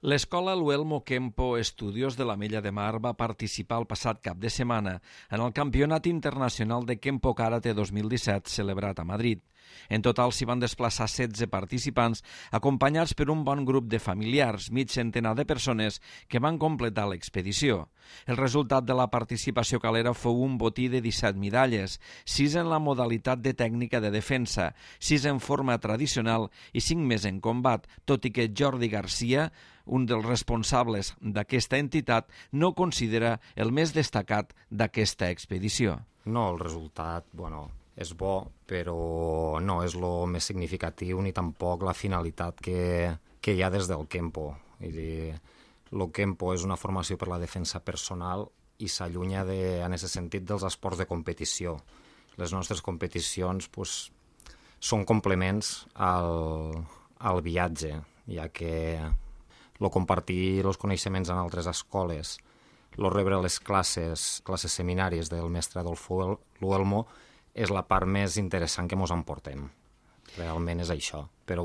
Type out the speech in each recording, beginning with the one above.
L'escola Luelmo Kempo Estudios de l'Ametlla de Mar va participar el passat cap de setmana en el Campionat Internacional de Kempo Karate 2017 celebrat a Madrid. En total s'hi van desplaçar 16 participants acompanyats per un bon grup de familiars, mig centenar de persones que van completar l'expedició. El resultat de la participació calera fou un botí de 17 medalles, 6 en la modalitat de tècnica de defensa, 6 en forma tradicional i 5 més en combat, tot i que Jordi Garcia, un dels responsables d'aquesta entitat, no considera el més destacat d'aquesta expedició. No, el resultat, és bo, però no és el més significatiu ni tampoc la finalitat que hi ha des del Kempo. El Kempo és una formació per la defensa personal i s'allunya en aquest sentit dels esports de competició. Les nostres competicions són complements al viatge, ja que compartir els coneixements en altres escoles, rebre les classes seminaris del mestre Adolfo Luelmo és la part més interessant que ens emportem. Realment és això. Però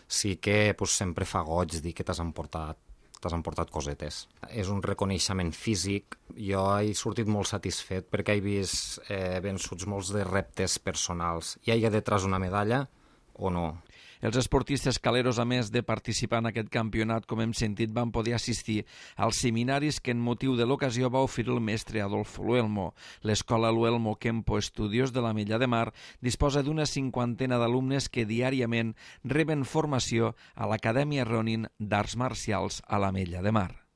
sí que sempre fa goig dir que t'has emportat cosetes. És un reconeixement físic. Jo he sortit molt satisfet perquè he vist vençuts molts de reptes personals. Hi ha detrás una medalla o no? Els esportistes caleros, a més de participar en aquest campionat, com hem sentit, van poder assistir als seminaris que en motiu de l'ocasió va oferir el mestre Adolfo Luelmo. L'escola Luelmo Kempo Estudios de l'Ametlla de Mar disposa d'una 50 d'alumnes que diàriament reben formació a l'Acadèmia Ronin d'Arts Marcials a l'Ametlla de Mar.